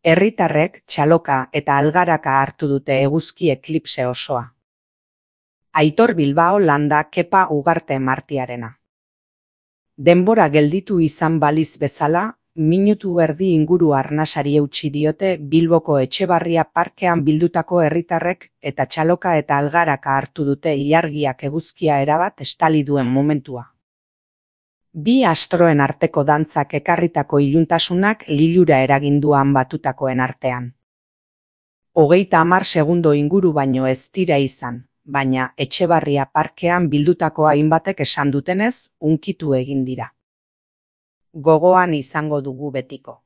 Herritarrek txaloka eta algaraka hartu dute eguzki eklipse osoa. Aitor Bilbao Landa Kepa Ugarte Martiarena. Denbora gelditu izan baliz bezala, minutu erdi inguru arnasari eutsi diote Bilboko Etxebarria parkean bildutako herritarrek eta txaloka eta algaraka hartu dute ilargiak eguzkia erabat estali duen momentua. Bi astroen arteko dantzak ekarritako iluntasunak lilura eraginduan batutakoen artean. 30 segundo inguru baino ez dira izan, baina Etxebarria parkean bildutako hainbatek esan dutenez, hunkitu egin dira. Gogoan izango dugu betiko.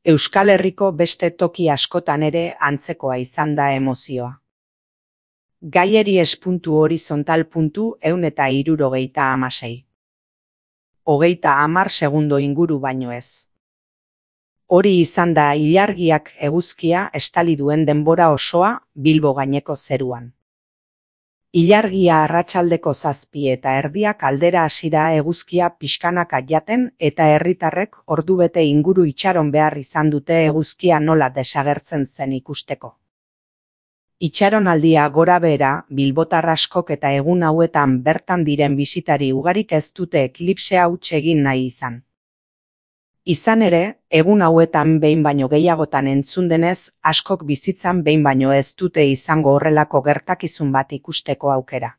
Euskal Herriko beste toki askotan ere antzekoa izan da emozioa. Gaieri espuntu horizontal puntu 176. 30 segundo inguru baino ez. Hori izan da ilargiak eguzkia estali duen denbora osoa Bilbo gaineko zeruan. Ilargia arratsaldeko 7:30 aldera hasi da eguzkia pixkanaka jaten eta herritarrek ordubete inguru itxaron behar izan dute eguzkia nola desagertzen zen ikusteko. Itxaronaldia gorabehera bilbotar askok eta egun hauetan bertan diren bisitari ugarik ez dute eklipsea huts egin nahi izan. Izan ere, egun hauetan behin baino gehiagotan entzun denez, askok bizitzan behin baino ez dute izango horrelako gertakizun bat ikusteko aukera.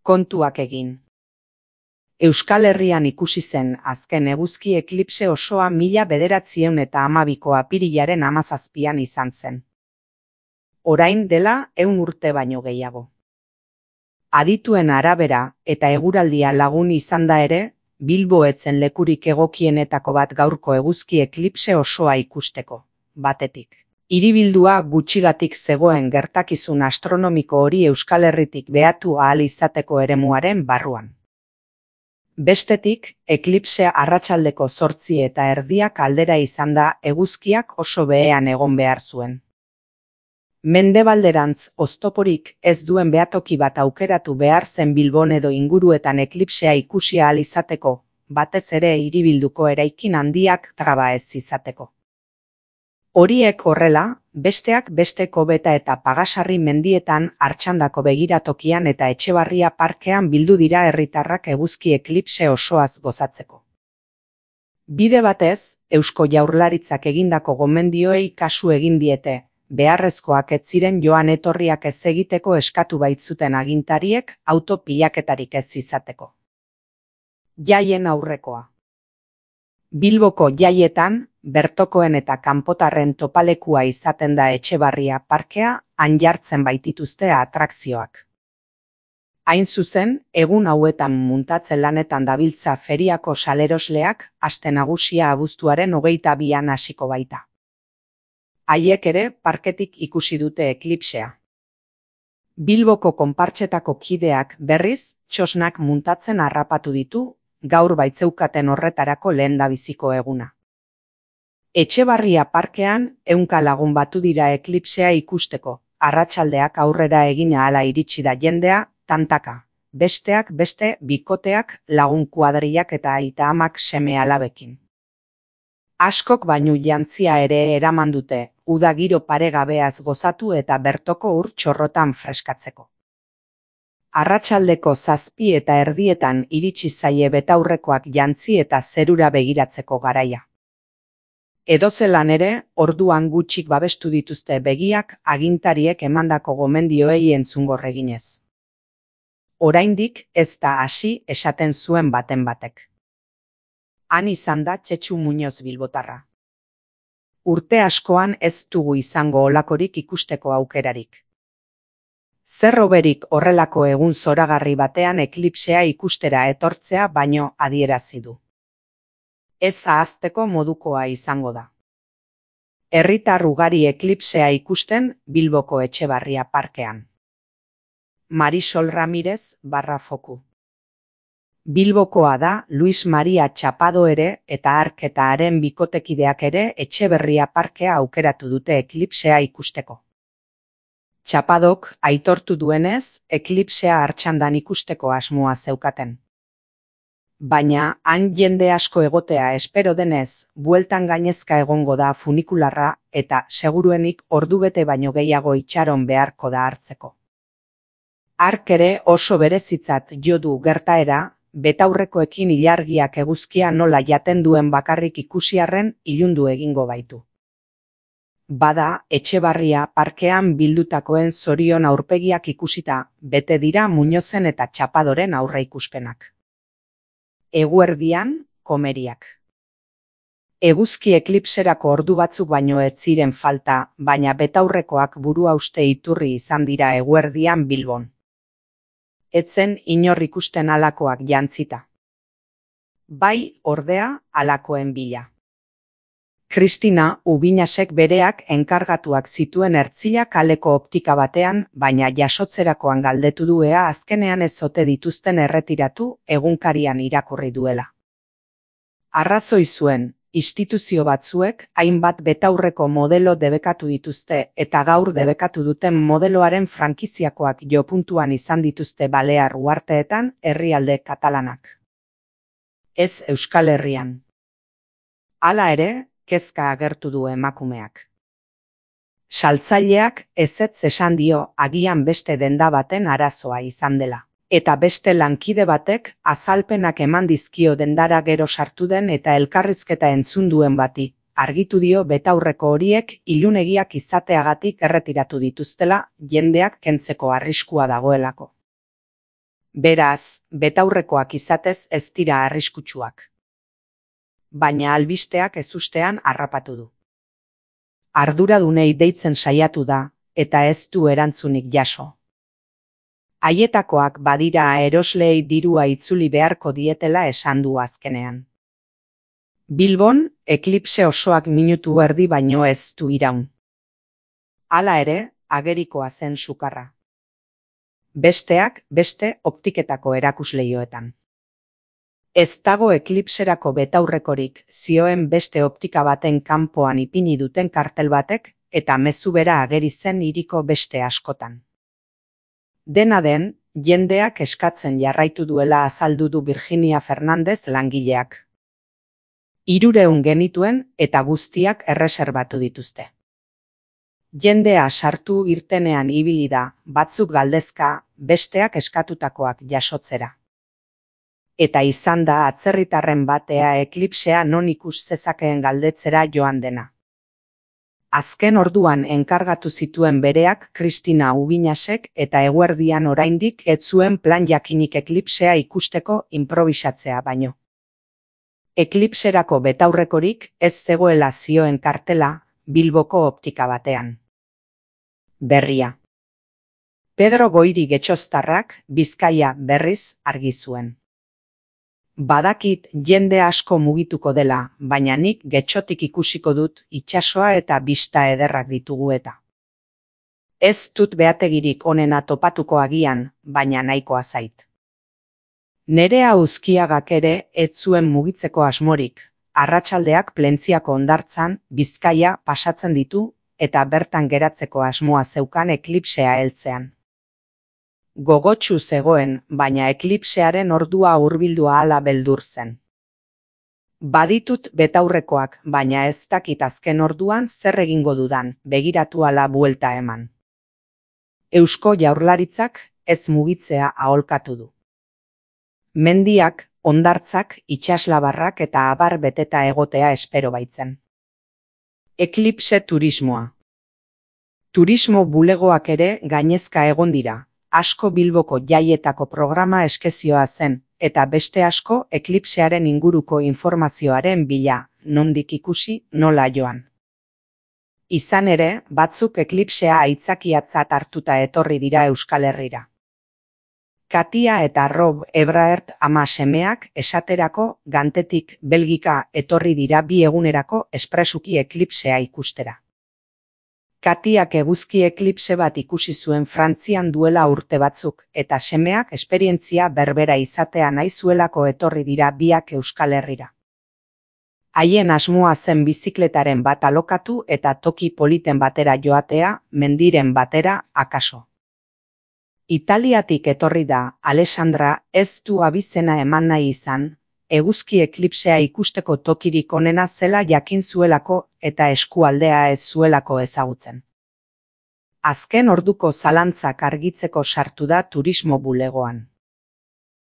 Kontuak egin. Euskal Herrian ikusi zen azken eguzki eklipse osoa 1912ko apirilaren 17an izan zen. Orain dela 100 urte baino gehiago. Adituen arabera eta eguraldia lagun izan da ere, Bilbo etzen lekurik egokienetako bat gaurko eguzki eklipse osoa ikusteko. Batetik, hiribildua gutxigatik zegoen gertakizun astronomiko hori Euskal Herritik behatu ahal izateko eremuaren barruan. Bestetik, eklipsea arratsaldeko 8:30 aldera izan da eguzkiak oso behean egon behar zuen. Mendebalderantz oztoporik ez duen behatoki bat aukeratu behar zen Bilbon edo inguruetan eklipsea ikusi ahal izateko, batez ere hiribilduko eraikin handiak traba ez izateko. Horiek horrela, besteak beste Kobeta eta Pagasarri mendietan Artxandako begiratokian eta Etxebarria parkean bildu dira herritarrak eguzki eklipse osoaz gozatzeko. Bide batez, Eusko Jaurlaritzak egindako gomendioei kasu egin diete, beharrezkoak ez ziren joan etorriak ez egiteko eskatu baitzuten agintariek auto pilaketarik ez izateko. Jaien aurrekoa. Bilboko jaietan, bertokoen eta kanpotarren topalekua izaten da Etxebarria parkea, han jartzen baitituzte atrakzioak. Hain zuzen, egun hauetan muntatzen lanetan dabiltza feriako salerosleak, aste nagusia abuztuaren 22an hasiko baita. Haiek ere parketik ikusi dute eklipsea. Bilboko konpartsetako kideak berriz, txosnak muntatzen harrapatu ditu, gaur baitzeukaten horretarako lehendabiziko eguna. Etxebarria parkean 100 lagun batu dira eklipsea ikusteko, arratsaldeak aurrera egin ahala iritsi da jendea, tantaka, besteak beste bikoteak, lagun kuadrilak eta aita-amak seme-alabekin. Askok bainu jantzia ere eraman dute, uda giro paregabeaz gozatu eta bertoko ur txorrotan freskatzeko. Arratsaldeko 7:30 iritsi zaie betaurrekoak jantzi eta zerura begiratzeko garaia. Edozelan ere, orduan gutxik babestu dituzte begiak agintariek emandako gomendioei entzungor eginez. Oraindik ez da hasi esaten zuen baten batek. Han izan da Txetxu Muñoz bilbotarra. Urte askoan ez dugu izango olakorik ikusteko aukerarik. Zer hoberik horrelako egun zoragarri batean eklipsea ikustera etortzea baino adierazi du. Ez ahazteko modukoa izango da. Herritar ugari eklipsea ikusten Bilboko Etxebarria parkean. Marisol Ramirez /Foku. Bilbokoa da Luis Maria Txapado ere eta hark eta haren bikotekideak ere Etxeberria parkea aukeratu dute eklipsea ikusteko. Txapadok aitortu duenez, eklipsea Artxandan ikusteko asmoa zeukaten. Baina, han jende asko egotea espero denez, bueltan gainezka egongo da funikularra eta seguruenik ordubete baino gehiago itxaron beharko da hartzeko. Hark ere oso berezitzat jo du gertaera, betaurrekoekin ilargiak eguzkia nola jaten duen bakarrik ikusiarren ilundu egingo baitu. Bada, Etxebarria parkean bildutakoen zorion aurpegiak ikusita, bete dira Muñozen eta Txapadoren aurreikuspenak. Eguerdian, komeriak. Eguzki eklipserako ordu batzuk baino ez ziren falta, baina betaurrekoak burua-hauste iturri izan dira eguerdian Bilbon. Etzen inor ikusten halakoak jantzita. Bai, ordea, halakoen bila. Kristina Ubinasek bereak enkargatuak zituen Ertzilla kaleko optika batean, baina jasotzerakoan galdetu du ea azkenean ez ote dituzten erretiratu egunkarian irakurri duela. Arrazoi zuen, instituzio batzuek hainbat betaurreko modelo debekatu dituzte eta gaur debekatu duten modeloaren frankiziakoak jopuntuan izan dituzte Balear uharteetan herrialde katalanak. Ez Euskal Herrian. Hala ere, kezka agertu du emakumeak. Saltzaileak ezetz esan dio agian beste denda baten arazoa izan dela. Eta beste lankide batek azalpenak eman dizkio dendara gero sartu den eta elkarrizketa entzun duen bati. Argitu dio betaurreko horiek ilunegiak izateagatik erretiratu dituztela jendeak kentzeko arriskua dagoelako. Beraz, betaurrekoak izatez ez dira arriskutsuak. Baina albisteak ezustean harrapatu du. Arduradunei deitzen saiatu da, eta ez du erantzunik jaso. Haietakoak badira erosleei dirua itzuli beharko dietela esan du azkenean. Bilbon, eklipse osoak minutu erdi baino ez du iraun. Hala ere, agerikoa zen sukarra. Besteak beste optiketako erakusleioetan. Ez dago eklipserako betaurrekorik, zioen beste optika baten kanpoan ipini duten kartel batek eta mezu bera ageri zen hiriko beste askotan. Dena den, jendeak eskatzen jarraitu duela azaldu du Virginia Fernandez langileak. 300 genituen eta guztiak erreserbatu dituzte. Jendea sartu irtenean ibili da, batzuk galdezka, besteak eskatutakoak jasotzera. Eta izan da atzerritarren batea eklipsea non ikus zezakeen galdetzera joan dena. Azken orduan enkargatu zituen bereak Kristina Ubinasek eta eguerdian oraindik ez zuen plan jakinik eklipsea ikusteko improbisatzea baino. Eklipserako betaurrekorik ez zegoela zioen kartela Bilboko optika batean. Berria. Pedro Goiri Getxoztarrak Bizkaia berriz argi zuen. Badakit jende asko mugituko dela, baina nik Getxotik ikusiko dut itsasoa eta bista ederrak ditugu eta. Ez dut beategirik onena topatuko agian, baina nahikoa zait. Nerea Uzkiagak ere ez zuen mugitzeko asmorik, arratsaldeak Plentziako hondartzan Bizkaia pasatzen ditu eta bertan geratzeko asmoa zeukan eklipsea heltzean. Gogotsu zegoen, baina eklipsearen ordua hurbildu ahala beldur zen. Baditut betaurrekoak, baina ez dakit azken orduan zer egingo dudan, begiratu ala buelta eman. Eusko Jaurlaritzak ez mugitzea aholkatu du. Mendiak, hondartzak, itsaslabarrak eta abar beteta egotea espero baitzen. Eklipse turismoa. Turismo bulegoak ere gainezka egon dira. Asko Bilboko jaietako programa eskezioa zen, eta beste asko eklipsearen inguruko informazioaren bila, nondik ikusi, nola joan. Izan ere, batzuk eklipsea aitzakiatzat hartuta etorri dira Euskal Herrira. Katia eta Rob Ebraert ama semeak esaterako Gantetik Belgika etorri dira 2 egunerako espresuki eklipsea ikustera. Katiak eguzki eklipse bat ikusi zuen Frantzian duela urte batzuk, eta semeak esperientzia berbera izatea nahi zuelako etorri dira biak Euskal Herrira. Haien asmoa zen bizikletaren bat alokatu eta toki politen batera joatea, mendiren batera, akaso. Italiatik etorri da, Alessandra ez du abizena eman nahi izan, eguzki eklipsea ikusteko tokirik onena zela jakin zuelako eta eskualdea ez zuelako ezagutzen. Azken orduko zalantzak argitzeko sartu da turismo bulegoan.